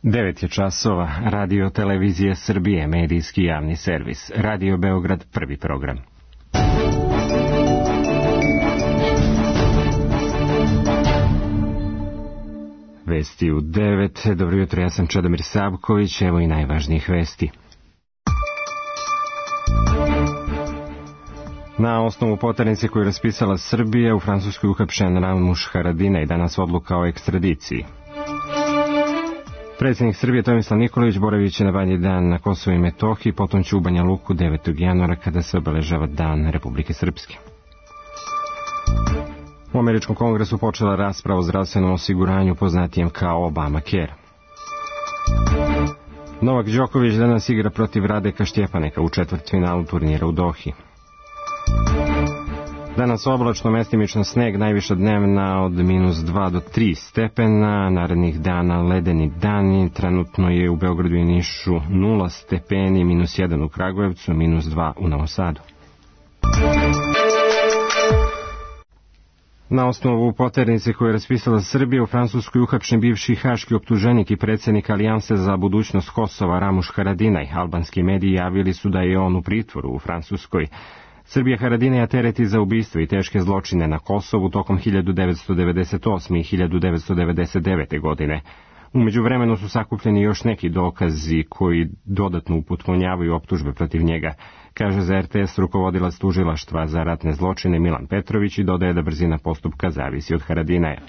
9 je časova, Radio Televizije Srbije, medijski javni servis, Radio Beograd, prvi program. Vesti u 9, dobro jutro, ja sam Čedomir Savković, evo i najvažnijih vesti. Na osnovu poternice koju je raspisala Srbija, u Francuskoj uhapšen Ramuš Haradinaj, danas odluka o ekstradiciji. Predsjednik Srbije Tomislav Nikolić boravit će na Badnji dan na Kosovu i Metohiji, potom će u Banja Luku 9. januara kada se obeležava Dan Republike Srpske. U Američkom kongresu počela rasprava o zdravstvenom osiguranju poznatijem kao Obamacare. Novak Đoković danas igra protiv Radeka Štjepaneka u četvrtfinalu turnira u Dohi. Danas oblačno, mestimično sneg, najviša dnevna od -2 do 3 stepena, narednih dana ledeni dani, trenutno je u Beogradu i Nišu 0 stepeni, -1 u Kragujevcu, -2 u Novom Sadu. Na osnovu poternice koju je raspisala Srbija, u Francuskoj uhapšen bivši haški optuženik i predsjednik Alijanse za budućnost Kosova Ramuš Haradinaj. Albanski mediji javili su da je on u pritvoru u Francuskoj. Srbija Haradinaja tereti za ubistvo i teške zločine na Kosovu tokom 1998. i 1999. godine. U međuvremenu su sakupljeni još neki dokazi koji dodatno upotpunjavaju optužbe protiv njega, kaže za RTS rukovodilac tužilaštva za ratne zločine Milan Petrović i dodaje da brzina postupka zavisi od Haradinaja.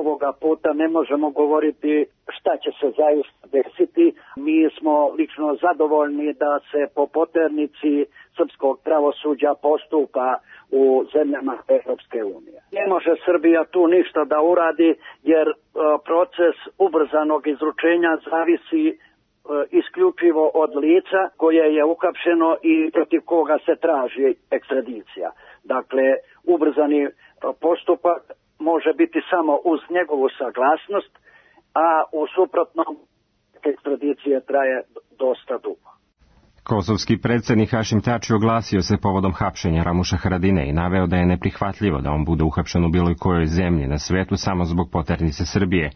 Ovoga puta ne možemo govoriti šta će se zaista desiti. Mi smo lično zadovoljni da se po poternici srpskog pravosuđa postupa u zemljama Evropske unije. Ne može Srbija tu ništa da uradi jer proces ubrzanog izručenja zavisi isključivo od lica koje je uhapšeno i protiv koga se traži ekstradicija. Dakle, ubrzani postupak može biti samo uz njegovu saglasnost, a u suprotnom ekstradicija traje dosta dugo. Kosovski predsjednik Hašim Tači oglasio se povodom hapšenja Ramuša Haradinaja i naveo da je neprihvatljivo da on bude uhapšen u bilo kojoj zemlji na svetu samo zbog poternice Srbije.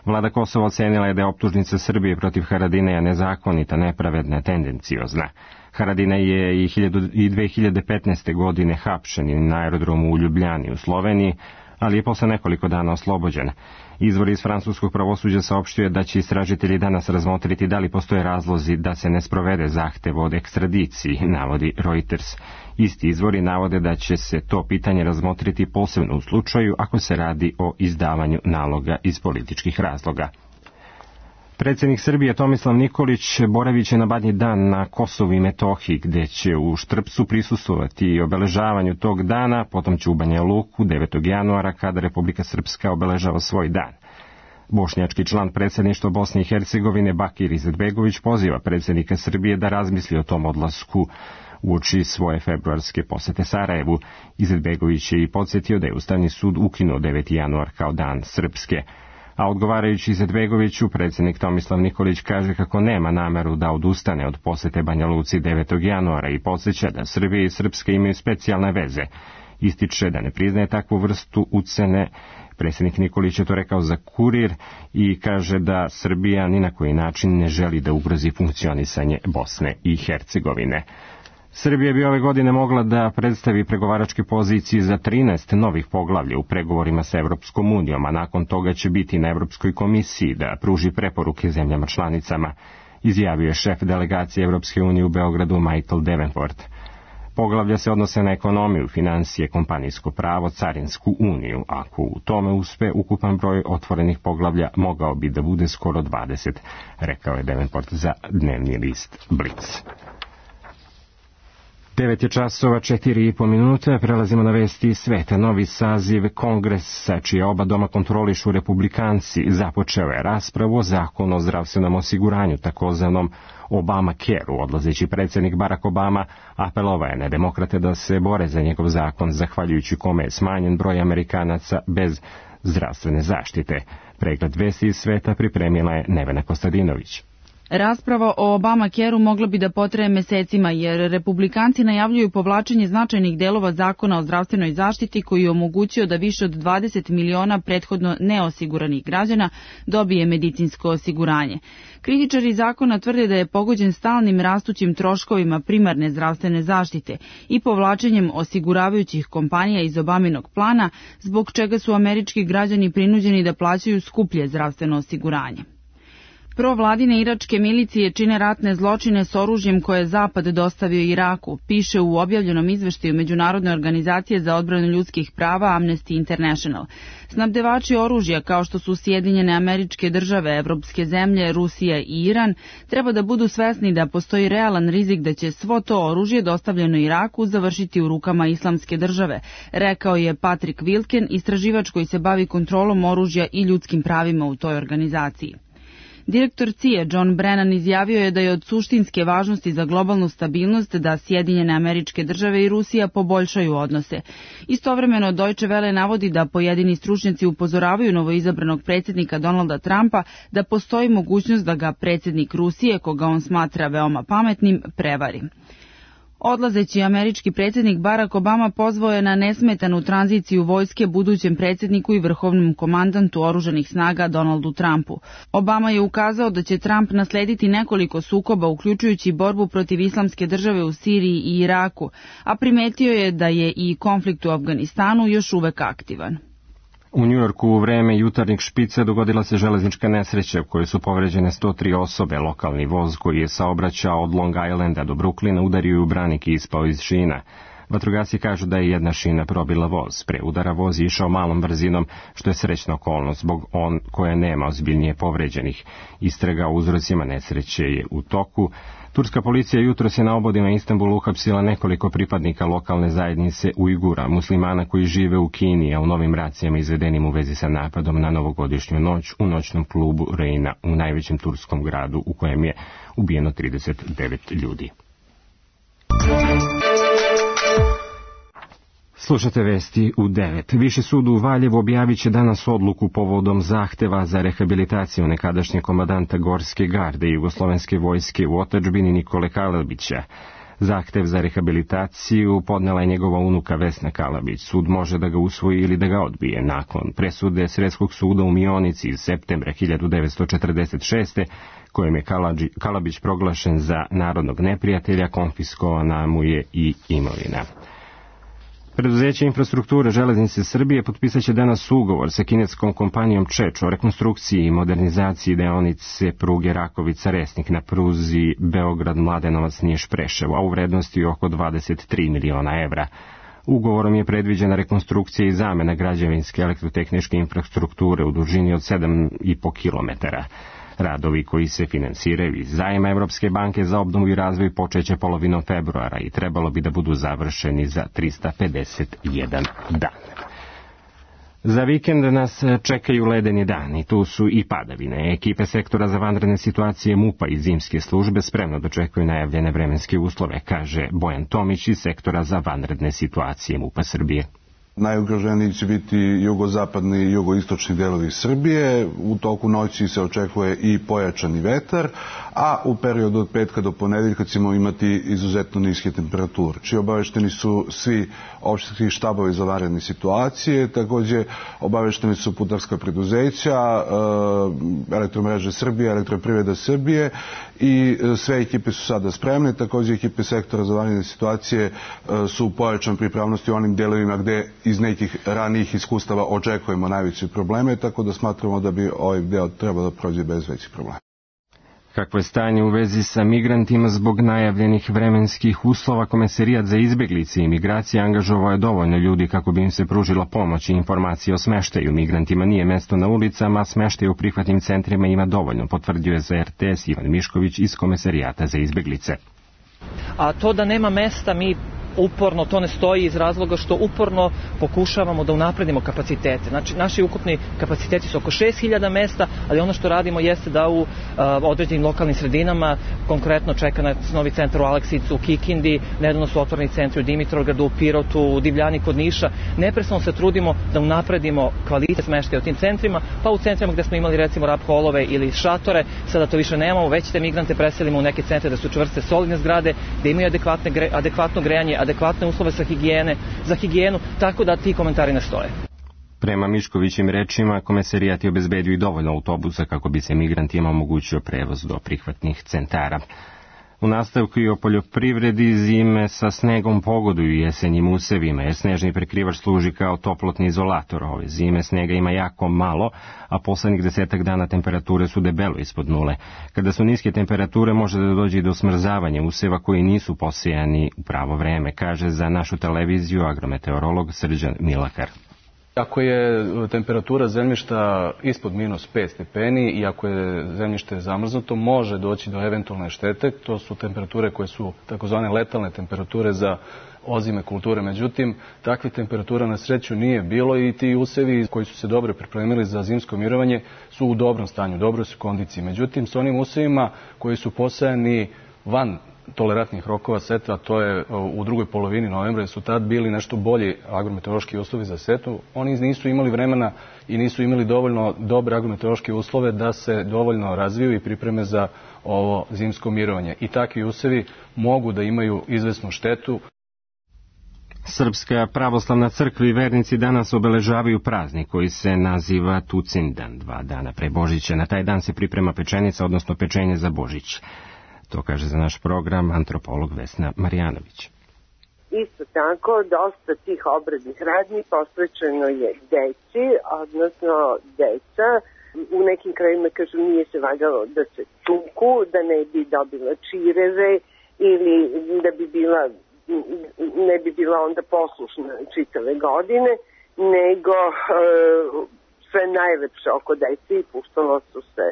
Vlada Kosova ocenila je da je optužnica Srbije protiv Haradinaja nezakonita, nepravedna, tendenciozna. Haradinaj je i 2015. godine hapšen na aerodromu u Ljubljani u Sloveniji, ali je posle nekoliko dana oslobođen. Izvor iz francuskog pravosuđa saopštio da će istražitelji danas razmotriti da li postoje razlozi da se ne sprovede zahtev od ekstradiciji, navodi Reuters. Isti izvori navode da će se to pitanje razmotriti posebno u slučaju ako se radi o izdavanju naloga iz političkih razloga. Predsjednik Srbije Tomislav Nikolić boravit će na Badnji dan na Kosovu i Metohiji, gde će u Štrpcu prisustvovati obeležavanju tog dana, potom će u Banja Luku 9. januara kada Republika Srpska obeležava svoj dan. Bošnjački član predsjedništva Bosne i Hercegovine Bakir Izetbegović poziva predsjednika Srbije da razmisli o tom odlasku uoči svoje februarske posete Sarajevu. Izetbegović je i podsjetio da je Ustavni sud ukinuo 9. januar kao dan Srpske. A odgovarajući Izetbegoviću, predsjednik Tomislav Nikolić kaže kako nema nameru da odustane od posete Banja Luci 9. januara i podsjeća da Srbija i Srpska imaju specijalne veze. Ističe da ne priznaje takvu vrstu ucene. Predsjednik Nikolić je to rekao za Kurir i kaže da Srbija ni na koji način ne želi da ugrozi funkcionisanje Bosne i Hercegovine. Srbija bi ove godine mogla da predstavi pregovaračke pozicije za 13 novih poglavlja u pregovorima sa Evropskom unijom, a nakon toga će biti na Evropskoj komisiji da pruži preporuke zemljama članicama, izjavio je šef delegacije Evropske unije u Beogradu Michael Davenport. Poglavlja se odnose na ekonomiju, financije, kompanijsko pravo, carinsku uniju. Ako u tome uspe, ukupan broj otvorenih poglavlja mogao bi da bude skoro 20, rekao je Davenport za dnevni list Blic. 9 je časova, 4,5 minuta, prelazimo na vesti sveta. Novi saziv Kongresa, čije oba doma kontrolišu republikanci, započeo je raspravu o zakonu o zdravstvenom osiguranju, takozvanom Obamacare-u. Odlazeći predsjednik Barack Obama apelovao je na demokrate da se bore za njegov zakon, zahvaljujući kome je smanjen broj Amerikanaca bez zdravstvene zaštite. Pregled vesti iz sveta pripremila je Nevena Kostadinović. Rasprava o Obamacareu mogla bi da potraje mesecima, jer republikanci najavljuju povlačenje značajnih delova zakona o zdravstvenoj zaštiti koji je omogućio da više od 20 miliona prethodno neosiguranih građana dobije medicinsko osiguranje. Kritičari zakona tvrde da je pogođen stalnim rastućim troškovima primarne zdravstvene zaštite i povlačenjem osiguravajućih kompanija iz Obaminog plana, zbog čega su američki građani prinuđeni da plaćaju skuplje zdravstveno osiguranje. Provladine iračke milicije čine ratne zločine s oružjem koje je Zapad dostavio Iraku, piše u objavljenom izveštaju Međunarodne organizacije za odbranu ljudskih prava Amnesty International. Snabdevači oružja, kao što su Sjedinjene Američke Države, evropske zemlje, Rusija i Iran, treba da budu svesni da postoji realan rizik da će svo to oružje dostavljeno Iraku završiti u rukama Islamske države, rekao je Patrick Wilken, istraživač koji se bavi kontrolom oružja i ljudskim pravima u toj organizaciji. Direktor CIA John Brennan izjavio je da je od suštinske važnosti za globalnu stabilnost da Sjedinjene Američke Države i Rusija poboljšaju odnose. Istovremeno Deutsche Welle navodi da pojedini stručnjaci upozoravaju novoizabranog predsjednika Donalda Trumpa da postoji mogućnost da ga predsjednik Rusije, koga on smatra veoma pametnim, prevari. Odlazeći američki predsjednik Barack Obama pozvao je na nesmetanu tranziciju vojske budućem predsjedniku i vrhovnom komandantu oružanih snaga Donaldu Trumpu. Obama je ukazao da će Trump naslediti nekoliko sukoba, uključujući borbu protiv Islamske države u Siriji i Iraku, a primetio je da je i konflikt u Afganistanu još uvek aktivan. U Njujorku u vreme jutarnjeg špica dogodila se železnička nesreća u kojoj su povređene 103 osobe. Lokalni voz koji je saobraćao od Long Islanda do Brooklyna udario u branik i ispao iz šina. Vatrogasci kažu da je jedna šina probila voz. Pre udara voz je išao malom brzinom, što je srećna okolnost, zbog koje nema ozbiljnije povređenih. Istraga o uzrocima nesreće je u toku. Turska policija jutros je na obodima Istanbulu uhapsila nekoliko pripadnika lokalne zajednice Ujgura, muslimana koji žive u Kini, a u novim racijama izvedenim u vezi sa napadom na novogodišnju noć u noćnom klubu Reina u najvećem turskom gradu u kojem je ubijeno 39 ljudi. Slušate vesti u 9. Viši sud u Valjevu objavit će danas odluku povodom zahteva za rehabilitaciju nekadašnjeg komandanta Gorske garde i Jugoslovenske vojske u otadžbini Nikole Kalabića. Zahtev za rehabilitaciju podnela je njegova unuka Vesna Kalabić. Sud može da ga usvoji ili da ga odbije. Nakon presude Sredskog suda u Mionici iz septembra 1946. kojem je Kalabić proglašen za narodnog neprijatelja, konfiskovana mu je i imovina. Preduzeće infrastrukture Železnice Srbije potpisat će danas ugovor sa kineskom kompanijom Čeč o rekonstrukciji i modernizaciji deonice pruge Rakovica-Resnik na pruzi Beograd-Mladenovac-Niš-Preševo, a u vrednosti oko 23 miliona evra. Ugovorom je predviđena rekonstrukcija i zamena građevinske elektrotehničke infrastrukture u dužini od 7,5 kilometara. Radovi koji se finansiraju iz zajma Evropske banke za obnovu i razvoj počeće polovinom februara i trebalo bi da budu završeni za 351 dan. Za vikend nas čekaju ledeni dani, tu su i padavine. Ekipe sektora za vanredne situacije MUP-a i zimske službe spremno dočekuju najavljene vremenske uslove, kaže Bojan Tomić iz sektora za vanredne situacije MUP-a Srbije. Najugroženiji će biti jugozapadni i jugoistočni delovi Srbije. U toku noći se očekuje i pojačani vetar, a u periodu od petka do ponedeljka ćemo imati izuzetno niske temperature. Obavešteni su svi opštinski štabovi za vanredne situacije, takođe obavešteni su putarska preduzeća, Elektromreže Srbije, Elektroprivreda Srbije i sve ekipe su sada spremne. Takođe ekipe sektora za vanredne situacije su u pojačanoj pripravnosti u onim delovima gde iz nekih ranijih iskustava očekujemo najveće probleme, tako da smatramo da bi ovaj deo trebao da prođe bez većih problema. Kakvo je stanje u vezi sa migrantima zbog najavljenih vremenskih uslova? Komesarijat za izbeglice i migracije angažovao je dovoljno ljudi kako bi im se pružila pomoć i informacije o smeštaju. Migrantima nije mesto na ulicama, a smeštaj u prihvatnim centrima ima dovoljno, potvrdio je za RTS Ivan Mišković iz Komesarijata za izbeglice. A to da nema mesta, mi uporno to ne stoji iz razloga što uporno pokušavamo da unapredimo kapacitete. Znači, naši ukupni kapaciteti su oko 6000 mesta, ali ono što radimo jeste da u određenim lokalnim sredinama, konkretno čeka nas novi centar u Aleksijevcu, u Kikindi, nedavno su otvoreni centri u Dimitrovgradu, u Pirotu, u Divljani kod Niša. Neprestano se trudimo da unapredimo kvalitet smeštaja u tim centrima, pa u centrima gde smo imali recimo rap holove ili šatore, sada to više nemamo, već te migrante preselimo u neke centre da su čvrste solidne zgrade, da imaju adekvatno grejanje, adekvatne uslove za higijenu, tako da ti komentari ne stoje. Prema Miškovićim rečima, Komesarijat je obezbedio i dovoljno autobusa kako bi se migrantima omogućio prevoz do prihvatnih centara. U nastavku i o poljoprivredi, zime sa snegom pogoduju jesenjim usevima, jer snežni prekrivač služi kao toplotni izolator. Ove zime snega ima jako malo, a poslednjih 10 dana temperature su debelo ispod nule. Kada su niske temperature, može da dođe i do smrzavanja useva koji nisu posejani u pravo vreme, kaže za našu televiziju agrometeorolog Srđan Milakar. Ako je temperatura zemljišta ispod -5 stepeni i ako je zemljište zamrznuto, može doći do eventualne štete. To su temperature koje su takozvane letalne temperature za ozime kulture. Međutim, takvih temperatura na sreću nije bilo i ti usevi koji su se dobro pripremili za zimsko mirovanje su u dobrom stanju, dobroj su kondiciji. Međutim, s onim usevima koji su posejani van tolerantnih rokova setva, a to je u drugoj polovini novembra, su tad bili nešto bolji agrometeorološki uslovi za setvu. Oni nisu imali vremena i nisu imali dovoljno dobre agrometeorološke uslove da se dovoljno razviju i pripreme za ovo zimsko mirovanje. I takvi usevi mogu da imaju izvesnu štetu. Srpska pravoslavna crkva i vernici danas obeležavaju praznik koji se naziva Tucindan, 2 dana pre Božića. Na taj dan se priprema pečenica, odnosno pečenje za Božić. To kaže za naš program antropolog Vesna Marjanović. Isto tako, dosta tih obrednih radnji posvećeno je deci, odnosno deca. U nekim krajima, kažu, nije se valjalo da se tuku, da ne bi dobila čireve ili da bi ne bi bila onda poslušna čitave godine, nego sve najlepše oko deci i puštalo su se,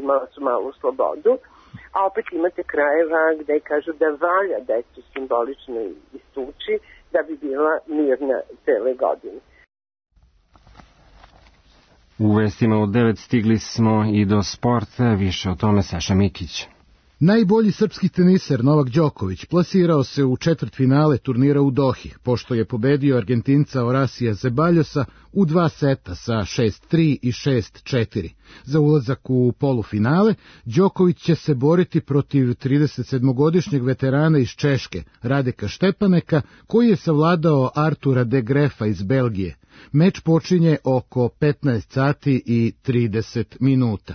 imala su malu slobodu. A opet imate krajeva gde kažu da valja decu simbolično istući da bi bila mirna cele godine. U vestima od 9 stigli smo i do sporta, više o tome Saša Mikić. Najbolji srpski teniser Novak Đoković plasirao se u četvrtfinale turnira u Dohi, pošto je pobedio Argentinca Horacía Zeballosa u 2 seta sa 6-3 i 6-4. Za ulazak u polufinale, Đoković će se boriti protiv 37-godišnjeg veterana iz Češke, Radeka Štepaneka, koji je savladao Artura de Grefa iz Belgije. Meč počinje oko 15 sati i 30 minuta.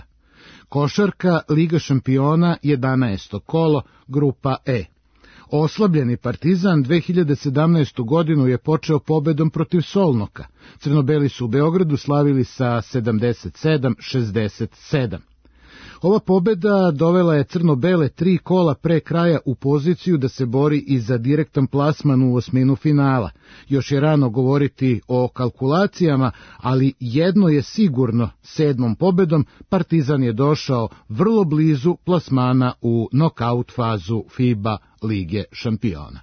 Košarka, Liga šampiona, 11. kolo, grupa E. Oslabljeni Partizan 2017. godinu je počeo pobedom protiv Solnoka. Crnobeli su u Beogradu slavili sa 77-67. Ova pobeda dovela je Crnobele 3 kola pre kraja u poziciju da se bori i za direktan plasman u osminu finala. Još je rano govoriti o kalkulacijama, ali jedno je sigurno, 7. pobedom Partizan je došao vrlo blizu plasmana u nokaut fazu FIBA Lige šampiona.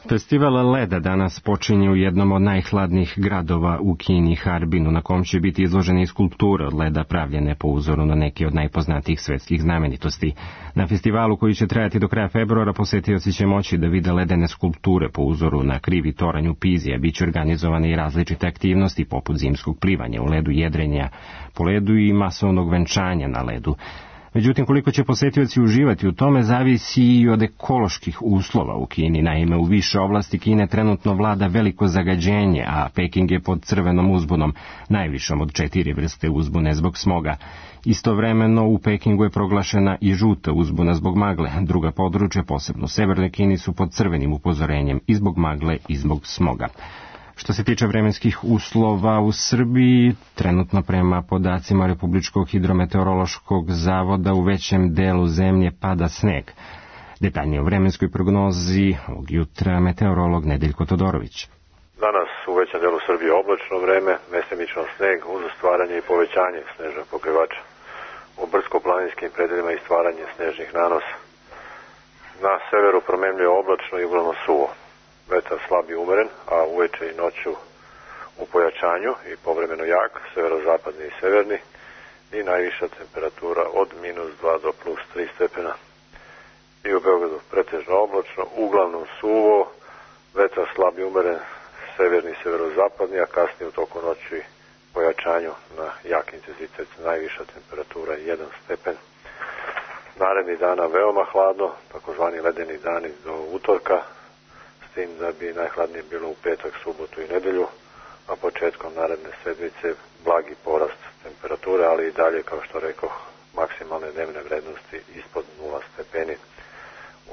Festival leda danas počinje u jednom od najhladnijih gradova u Kini, Harbinu, na kom će biti izložene skulpture od leda pravljene po uzoru na neke od najpoznatijih svetskih znamenitosti. Na festivalu koji će trajati do kraja februara posetioci će moći da vide ledene skulpture po uzoru na krivi toranj u Pizi, a bit će organizovane i različite aktivnosti poput zimskog plivanja u ledu, jedrenja po ledu i masovnog venčanja na ledu. Međutim, koliko će posetioci uživati u tome, zavisi i od ekoloških uslova u Kini. Naime, u više oblasti Kine trenutno vlada veliko zagađenje, a Peking je pod crvenom uzbunom, najvišom od 4 vrste uzbune zbog smoga. Istovremeno, u Pekingu je proglašena i žuta uzbuna zbog magle. Druga područja, posebno u severnoj Kini, su pod crvenim upozorenjem i zbog magle i zbog smoga. Što se tiče vremenskih uslova u Srbiji, trenutno prema podacima Republičkog hidrometeorološkog zavoda u većem delu zemlje pada sneg. Detaljnije o vremenskoj prognozi ovog jutra meteorolog Nedeljko Todorović. Danas u većem delu Srbije oblačno vreme, mestimično sneg uz stvaranje i povećanje snežnog pokrivača. U brdsko-planinskim predelima i stvaranje snežnih nanosa. Na severu promenljivo oblačno i uglavnom suvo. Vetar slab i umeren, a uveče i noću u pojačanju i povremeno jak, severozapadni i severni, i najviša temperatura od -2 do +3 stepena. I u Beogradu pretežno oblačno, uglavnom suvo, vetar slab i umeren, severni i severozapadni, a kasnije u toku noći pojačanju na jak intenzitet, najviša temperatura 1 stepen. Naredni dana veoma hladno, takozvani ledeni dani do utorka, s tim da bi najhladnije bilo u petak, subotu i nedelju, a početkom naredne sedmice blagi porast temperature, ali i dalje, kao što rekoh, maksimalne dnevne vrednosti ispod 0 stepeni.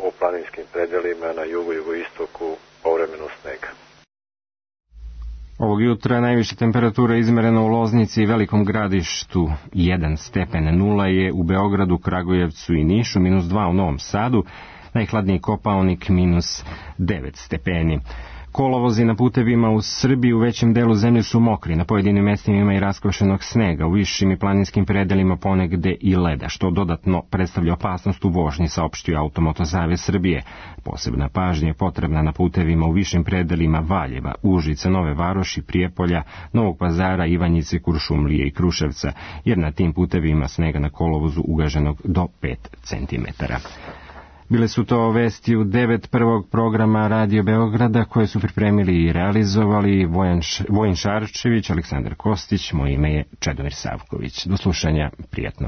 U planinskim predelima na jugu i jugoistoku povremeno snega. Ovog jutra najviša temperatura izmerena u Loznici i Velikom Gradištu 1 stepen, 0 je u Beogradu, Kragujevcu i Nišu, -2 u Novom Sadu, najhladniji Kopaonik -9 stepeni. Kolovozi na putevima u Srbiji u većem delu zemlje su mokri, na pojedinim mestima ima i raskvašenog snega, u višim i planinskim predelima ponegde i leda, što dodatno predstavlja opasnost u vožnji, saopštio Automoto savez Srbije. Posebna pažnja je potrebna na putevima u višim predelima Valjeva, Užica, Nove Varoši, Prijepolja, Novog Pazara, Ivanjice, Kuršumlije i Kruševca, jer na tim putevima snega na kolovozu ugaženog do 5 centimetara. Bile su to vesti u 9 prvog programa Radio Beograda koje su pripremili i realizovali Vojin Šarčević, Aleksandar Kostić, moje ime je Čedomir Savković. Do slušanja, prijatno.